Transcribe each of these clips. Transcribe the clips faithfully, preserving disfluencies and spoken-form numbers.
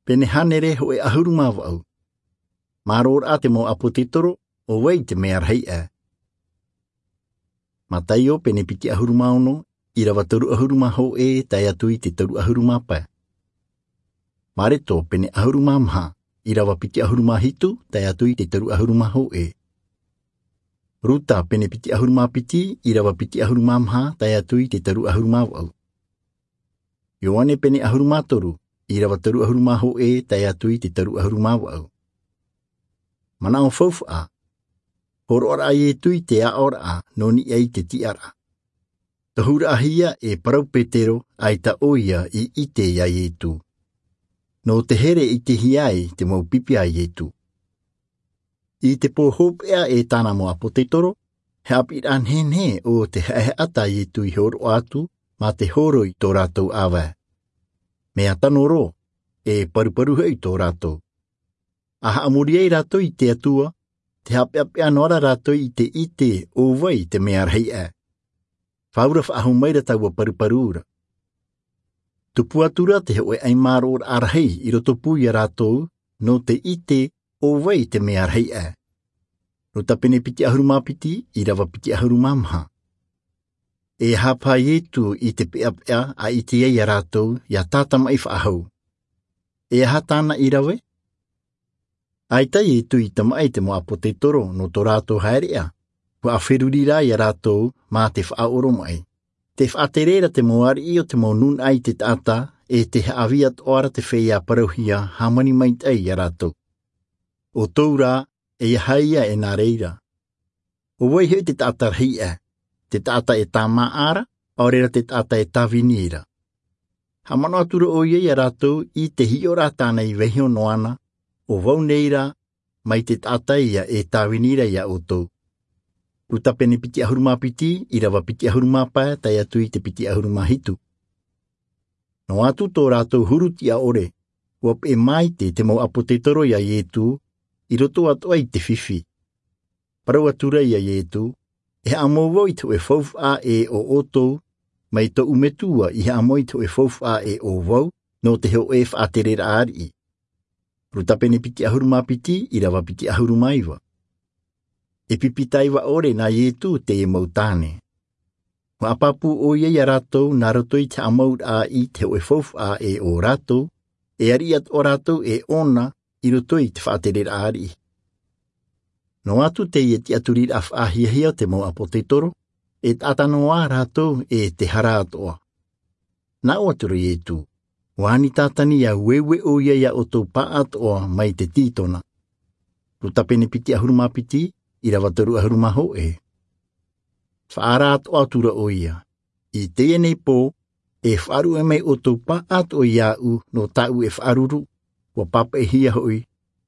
Pene hānere hōʻē ʻahuru mā vaʻu. Māroʻa te mau ʻāpōsetolo, ʻo vai te mea rahi aʻe? Mataio pene piti ʻahuru mā ono, ʻīrava toru ʻahuru mā hōʻē tae atu i te toru ʻahuru mā pae. Mareko pene ʻahuru mā maha, ʻīrava piti ʻahuru mā hitu tae atu i te toru ʻahuru mā hōʻē. Ruta pene piti ʻahuru mā piti, ʻīrava piti ʻahuru mā maha tae atu i te toru ʻahuru mā vaʻu. Ioane pene ʻahuru mā toru, ʻīrava toru ʻahuru mā hōʻē tae atu i te toru ʻahuru mā vaʻu. Manaʻo faufaʻa. Hōroʻaraʻa a Ietu i te aʻoraʻa nō niʻa i te tiʻaraʻa. Tohuraʻahia e parau Petero, ʻaita ʻoia i ʻite ia Ietu. Nō te here i ʻitehia ai te mau pipi a Ietu. I te pō hopeʻa e tāna mau ʻāpōsetolo, he ʻāpīraʻa nehenehe ʻo te haʻehaʻa tā Ietu i hōroʻa atu mā te hōroi i tō rātou ʻāvae. Mea tano roa, e paruparu hoʻi tō rātou. A haʻamori ai rātou i te Atua, te haʻapeʻapeʻa noa ra rātou i te ʻite ʻo vai te mea rahi aʻe. Faʻaura faʻahou mai ra taua paruparu ra. Tupu atu ra te hōʻē ʻaimāroʻaraʻa rahi i roto pū ia rātou, nō te ʻite ʻo vai te mea rahi aʻe. Ruta pene piti ʻahuru mā piti, ʻīrava piti ʻahuru mā maha. E aha paha Ietu i te peʻapeʻa a ʻite ai ia rātou, ʻia tātamaʻi faʻahou? E aha tāna i rave? ʻAita Ietu i tamaʻi te mau ʻāpōsetolo nō tō rātou haereʻa, ʻua feruri rā ia rātou mā te faʻaoromaʻi. Tē faʻatere ra te mau ariʻi o te mau nūnaʻa i te taʻata, e tē haʻavī atoʻa ra te feiā parauhia hāmani maitaʻi ia rātou. ʻO tō rā, e aha ia e nā reira? ʻO vai hoʻi te taʻata rahi aʻe? Te taʻata e tāmāʻa ra, ʻaore ra te taʻata e tāvini ra. Haʻamanaʻo atu ra ʻoia ia rātou i te hiʻoraʻa tāna i vaiiho noa na, ʻo vau nei rā, mai te taʻata ia e tāvini ra ia ʻoutou. Ruta pene piti ʻahuru mā piti, ʻīrava piti ʻahuru mā pae, tae atu i te piti ʻahuru mā hitu. Noa atu tō rātou huru tiʻa ʻore, ʻua peʻe maite te mau ʻāpōsetolo ia Ietu, i roto atoʻa i te fifi. Parau atu ra ia Ietu, e haʻamau vau i te hōʻē faufaʻa ʻē ʻo ʻoutou, mai tōʻu Metua i haʻamau i te hōʻē faufaʻa ʻē ʻo vau, nō te hōʻē faʻatereraʻa ariʻi. Ruta pene piti ʻahuru mā piti, ʻīrava piti ʻahuru mā iva. E pipi taiva ʻore nā Ietu teie mau tāne. ʻUa pāpū ʻoia ia rātou nā roto i te haʻamauraʻa i te hōʻē faufaʻa ʻē ʻo rātou, e ariʻi atoʻa rātou e ʻōna i roto i te faʻatereraʻa ariʻi. Noa atu teie tiʻaturiraʻa faʻahiahia o te mau ʻāpōsetolo, e taʻata noa rātou e te hara atoʻa. Nā ʻō atu ra Ietu, ʻua ani Tātani ʻia ueue ʻoia ia ʻoutou pāʻatoʻa mai te tītona. Ruta pene piti ʻahuru mā piti, ʻīrava toru ʻahuru mā hōʻē. Faʻaara atoʻa atu ra ʻoia, i teie nei pō, e faʻaruʻe mai ʻoutou pāʻatoʻa iāʻu nō tāʻu e faʻaruru, ʻua pāpaʻihia hoʻi,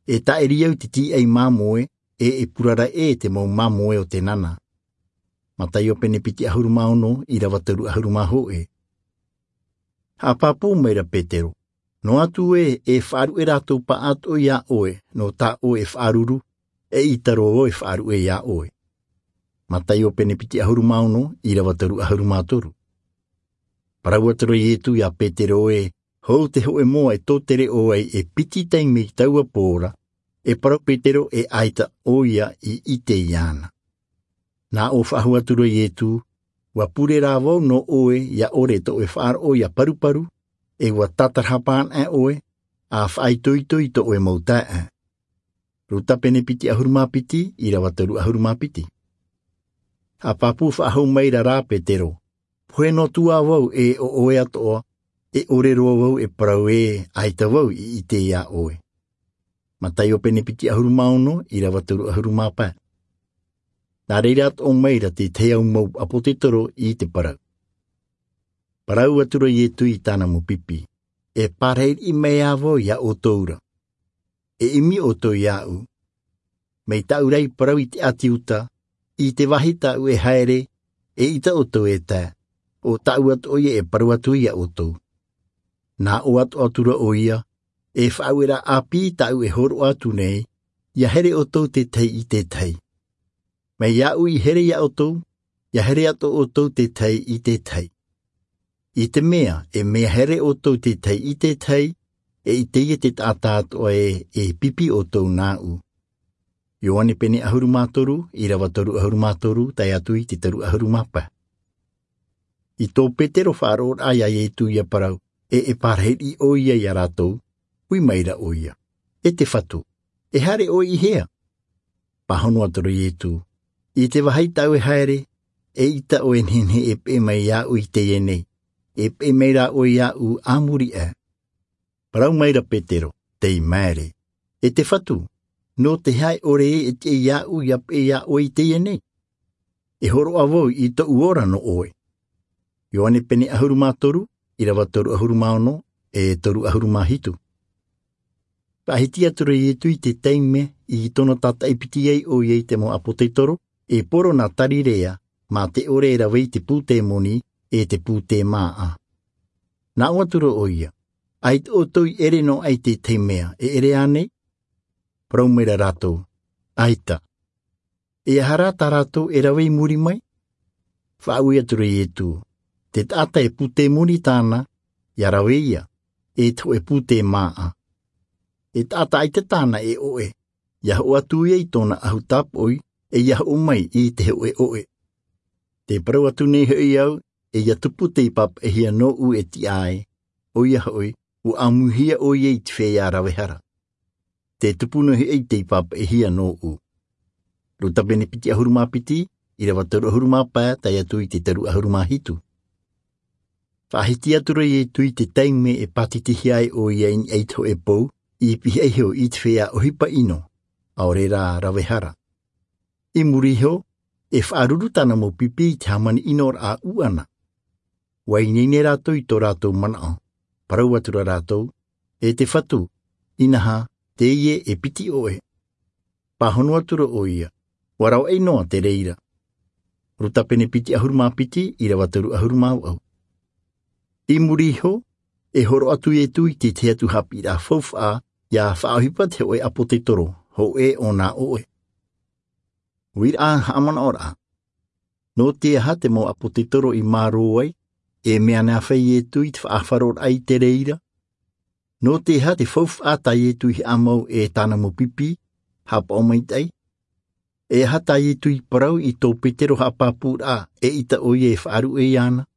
e tāʻiri au i te tīaʻi māmoe, e e purara ʻē te mau māmoe o te nana. Mataio pene piti ʻahuru mā ono, ʻīrava toru ʻahuru mā hōʻē. Haʻapāpū mai ra Petero, noa atu ē, e faʻaruʻe rātou pāʻatoʻa iā ʻoe, nō tā ʻoe e faʻaruru, eʻita roa vau e faʻaruʻe iā ʻoe. Mataio pene piti ʻahuru mā ono, ʻīrava toru ʻahuru mā toru. Parau atu ra Ietu iā Petero ē, hou te hōʻē moa e tōtere ʻō ai e piti taime i taua pō ra, e parau Petero ē ʻaita ʻoia i ʻite iāna. Nā ʻō faʻahou atu ra Ietu, ʻua pure rā vau nō ʻoe ʻia ʻore tō ʻoe faʻaroʻo ʻia paruparu, e ʻua tātarahapa anaʻe ʻoe, ʻa faʻaitoito i tō ʻoe mau taeaʻe. Ruta pene piti ʻahuru mā piti, ʻīrava toru ʻahuru mā piti. Haʻapāpū faʻahou mai ra rā Petero, pohe noa atu ā vau ē ʻo ʻoe atoʻa, e ʻore roa vau e parau ē ʻaita vau i ʻite iā ʻoe. Mataio pene piti ʻahuru mā ono, ʻīrava toru ʻahuru mā pae. Nā reira atoʻa mai ra te tahi mau ʻāpōsetolo i te parau. Parau atu ra Ietu i tāna mau pipi, e pārahi riʻi mai ā vau iā ʻoutou ra. E ʻimi ʻoutou iāʻu. Mai tāʻu rā i parau i te ʻāti Iuta, i te vāhi tāʻu e haere, eʻita ʻoutou e tae, ʻo tāʻu atoʻa ïa e parau atu iā ʻoutou. Nā ʻō atoʻa atu ra ʻoia, e faʻaueraʻa ʻāpī tāʻu e hōroʻa atu nei, ʻia here ʻoutou te tahi i te tahi. Mai iāʻu i here iā ʻoutou, ʻia here atoʻa ʻoutou te tahi i te tahi. I te mea, e mea here ʻoutou te tahi i te tahi, E ʻite ia te taʻata atoʻa ē e pipi ʻoutou nāʻu. Ioane pene ʻahuru mā toru, ʻīrava toru ʻahuru mā toru tae atu i te toru ʻahuru mā pae. I tō petero faʻaroʻoraʻa iā iesu ia parau, e e parahiraʻa ʻo ia iā rātou, ui maira ʻo ia, e te fatu, e haere ʻoe i hea? Pāhono atu ra iesu, i te vāhi tāʻu e haere, e ʻita ʻoe e nehenehe e peʻe mai iāʻu i teie nei, e peʻe mai rā ʻoe iāʻu a muri aʻe. Parau maira petero, tei maere, e te fatu, nō te aha e ʻore ē e tiʻa iāʻu ia peʻe iā ʻoe i teie nei? E hōroʻa vau i tōʻu ora nō ʻoe. Ioane pene ʻahuru mā toru, ʻīrava toru ʻahuru mā ono, e toru ʻahuru mā hitu. Faʻahiti atu ra iesu i te taime i tōna tātaʻi piti ai ʻo ia i te mau ʻāpōsetolo, e poro nā galileia, mā te ʻore e rave i te pūtemoni, e te pūtemāʻa. Nā ʻō atu ra ʻo ia, ʻaita ʻoutou i ʻere noa aʻe i te tahi mea e ʻere ānei? Parau maira rātou, ʻaita. E aha rā tā rātou e rave i muri mai? Faʻaui atu ra iesu, te taʻata e pūtemoni tāna, ia rave ia, e te hōʻē pūtemāʻa. E taʻata ʻaita tāna e ʻoʻe, ia hoʻo atu ia i tōna ʻahu tāpoʻi, e ia hoʻo mai i te hōʻē ʻoʻe. Te parau atu nei hoʻi au, e ia tupu tei pāpaʻihia nōʻu e tiʻa ai, ʻo ia hoʻi, ua ʻāmuihia ʻo ia i te feiā rave hara. Te tupu noa hoʻi tei pāpaʻihia nōʻu. Luka pene piti ʻahuru mā piti, ʻīrava toru ʻahuru mā pae tae atu i te toru ʻahuru mā hitu. Faʻahiti atu ra iesu i te taime e pātitihia ai ʻo ia i niʻa i te hōʻē pou, i pihaʻi iho i te feiā ʻohipa ʻino, ʻaore rā rave hara. I muri iho, e faʻaruru tāna mau pipi i te hāmani ʻino raʻa ʻuʻana. Ua ineine rātou i tō rātou manaʻo, parau atu ra rātou, e te fatu, inaha, teie e piti ʻoʻe. Pāhono atu ra ʻo ia, ua ravaʻi noa te reira. Luka pene piti ʻahuru mā piti, ʻīrava toru ʻahuru mā vaʻu. I muri iho, e hōroʻa atu iesu i te tahi atu haʻapiʻiraʻa faufaʻa, ia faʻaʻohipa te hōʻē ʻāpōsetolo, hōʻē ʻōna ʻoʻe. Uiraʻa haʻamanaʻoraʻa. Nō te aha te mau ʻāpōsetolo i mārō ai, e mea nāfea iesu i te faʻaharoraʻa i te reira? Nō te aha te faufaʻa tā iesu i haʻamau e tāna mau pipi, haʻapaʻo maitaʻi? E aha tā iesu i parau i tō petero haʻapāpūraʻa, e ʻita ʻo ia e faʻaruʻe iāna?